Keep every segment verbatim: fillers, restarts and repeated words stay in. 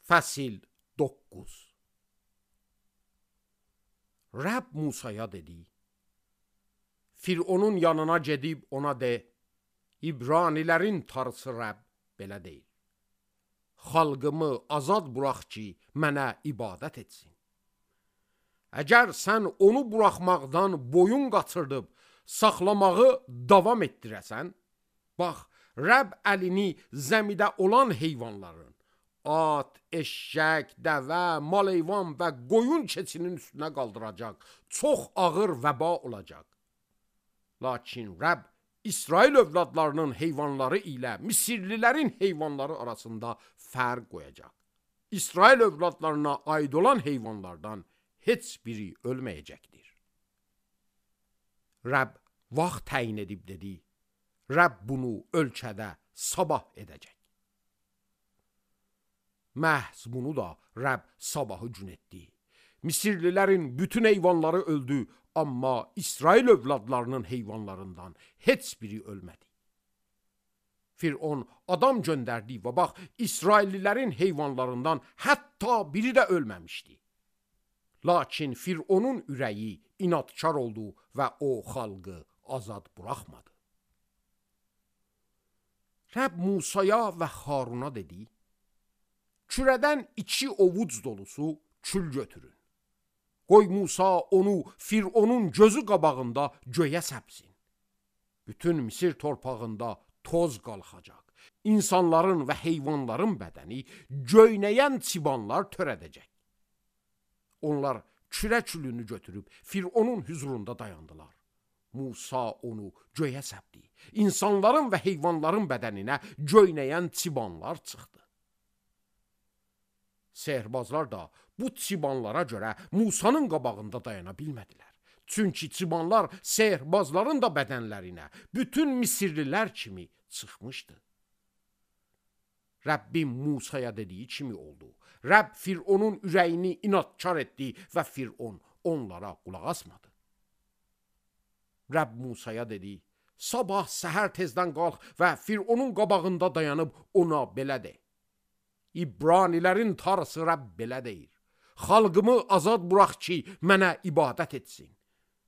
Fəsil doqquz. Rəbb Musaya dedi: Fironun yanına gedib ona de, İbranilərin tarısı Rəbb belə deyir: Xalqımı azad burax ki, mənə ibadət etsin. Əgər sən onu buraxmaqdan boyun qaçırdıb, saxlamağı davam etdirəsən, bax, Rəbb əlini zəmidə olan heyvanların, at, eşşək, dəvə, mal-heyvan və qoyun keçinin üstünə qaldıracaq, çox ağır vəba olacaq. Lakin Rəbb İsrail övladlarının heyvanları ilə Misirlilərin heyvanları arasında fərq qoyacaq. İsrail övladlarına aid olan heyvanlardan heç biri ölməyəcəkdir. Rəbb vaxt təyin edib dedi: Rəbb bunu ölkədə sabah edəcək. Məhz bunu da Rəbb sabahı gün etdi. Misirlilərin bütün heyvanları öldü, amma İsrail övladlarının heyvanlarından heç biri ölmədi. Firon adam göndərdi və bax, İsraillilərin heyvanlarından hətta biri də ölməmişdi. Lakin Fironun ürəyi inadkar oldu və o xalqı azad buraxmadı. Rəbb Musaya və Haruna dedi: Kürədən iki ovuc dolusu kül götürün. Qoy Musa onu Fironun gözü qabağında göyə səpsin. Bütün Misir torpağında toz qalxacaq. İnsanların və heyvanların bədəni göynəyən çibanlar törədəcək. Onlar kürə külünü götürüb Fironun hüzurunda dayandılar. Musa onu göyə səpdi. İnsanların və heyvanların bədəninə göynəyən çibanlar çıxdı. Sehrbazlar da bu çibanlara görə Musanın qabağında dayana bilmədilər. Çünki çibanlar sehrbazların da bədənlərinə bütün Misirlilər kimi çıxmışdı. Rəbbim Musaya dediyi kimi oldu. Rəbb Fironun ürəyini inadkar etdi və Firon onlara qulaq asmadı. Rəbb Musaya dedi: Sabah səhər tezdən qalx və Fironun qabağında dayanıb ona belə de: İbranilərin tarısı Rəbb belə deyir: Xalqımı azad burax ki, mənə ibadət etsin.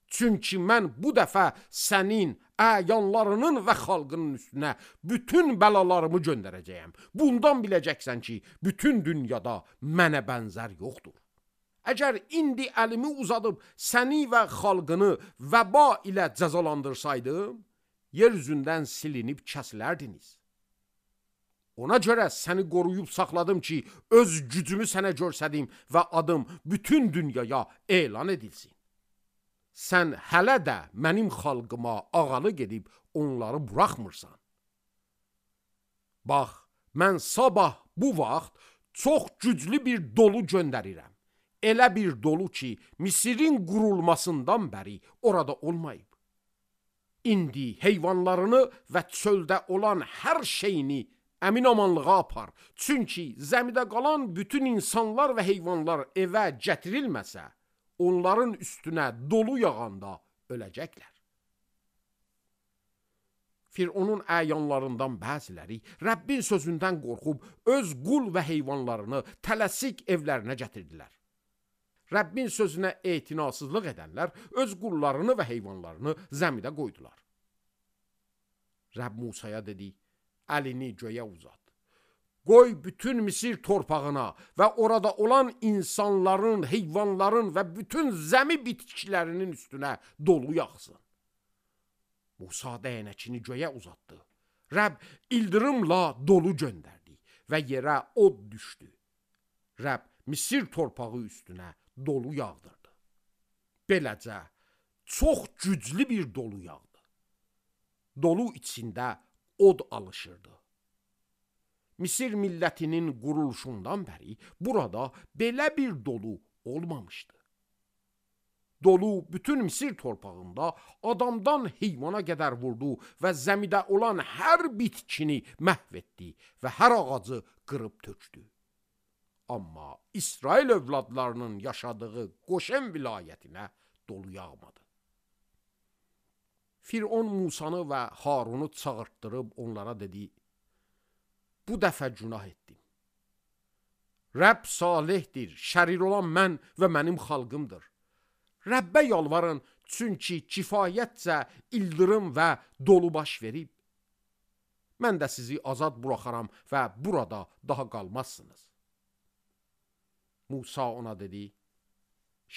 Çünki mən bu dəfə sənin, əyanlarının və xalqının üstünə bütün bəlalarımı göndərəcəyəm. Bundan biləcəksən ki, bütün dünyada mənə bənzər yoxdur. Əgər indi əlimi uzadıb səni və xalqını vəba ilə cəzalandırsaydım, yer üzündən silinib kəsilərdiniz. Ona görə səni qoruyub saxladım ki, öz gücümü sənə görsədim və adım bütün dünyaya elan edilsin. Sən hələ də mənim xalqıma ağalı gedib onları buraxmırsan. Bax, mən sabah bu vaxt çox güclü bir dolu göndərirəm. Elə bir dolu ki, Misirin qurulmasından bəri orada olmayıb. İndi heyvanlarını və çöldə olan hər şeyini əmin-amanlığa apar. Çünki zəmidə qalan bütün insanlar və heyvanlar evə gətirilməsə, onların üstünə dolu yağanda öləcəklər. Fironun əyanlarından bəziləri Rəbbin sözündən qorxub öz qul və heyvanlarını tələsik evlərinə gətirdilər. Rəbbin sözünə etinasızlıq edənlər öz qullarını və heyvanlarını zəmidə qoydular. Rəbb Musaya dedi: Əlini göyə uzat. Qoy bütün Misir torpağına və orada olan insanların, heyvanların və bütün zəmi bitkilərinin üstünə dolu yağsın. Musa dəyənəkini göyə uzatdı. Rəbb ildırımla dolu göndərdi və yerə od düşdü. Rəbb Misir torpağı üstünə dolu yağdırdı. Beləcə çox güclü bir dolu yağdı. Dolu içində od alışırdı. Misir millətinin quruluşundan bəri burada belə bir dolu olmamışdı. Dolu bütün Misir torpağında adamdan heyvana qədər vurdu və zəmidə olan hər bitkini məhv etdi və hər ağacı qırıb tökdü. Amma İsrail övladlarının yaşadığı Qoşen vilayətinə dolu yağmadı. Firon Musanı və Harunu çağırtdırıb onlara dedi: Bu dəfə günah etdim. Rəbb salihdir, şərir olan mən və mənim xalqımdır. Rəbbə yalvarın, çünki kifayətcə ildırım və dolu baş verib. Mən də sizi azad buraxaram və burada daha qalmazsınız. Musa ona dedi,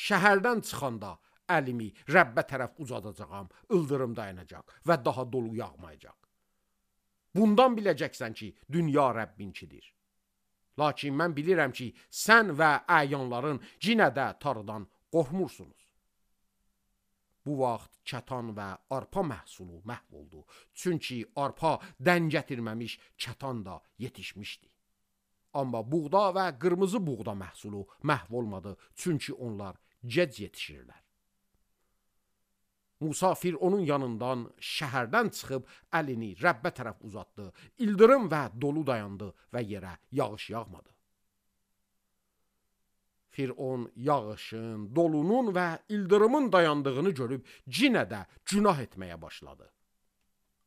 şəhərdən çıxanda əlimi Rəbbə tərəf uzadacağam, ildırım dayanacaq və daha dolu yağmayacaq. Bundan biləcəksən ki, dünya Rəbbinkidir. Lakin mən bilirəm ki, sən və əyanların yenə də Tanrıdan qorxmursunuz. Bu vaxt kətan və arpa məhsulu məhv oldu. Çünki arpa dən gətirməmiş kətan da yetişmişdi. Amma buğda və qırmızı buğda məhsulu məhv olmadı. Çünki onlar gec yetişirlər. Musa Fironun yanından şəhərdən çıxıb əlini Rəbbə tərəf uzatdı. İldırım və dolu dayandı və yerə yağış yağmadı. Firon yağışın, dolunun və ildırımın dayandığını görüb yenə də günah etməyə başladı.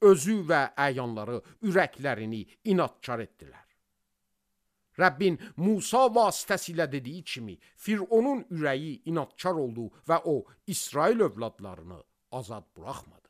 Özü və əyanları ürəklərini inadkar etdilər. Rəbbin Musa vasitəsilə dediyi kimi Fironun ürəyi inadkar oldu və o İsrail övladlarını azad buraxmadı.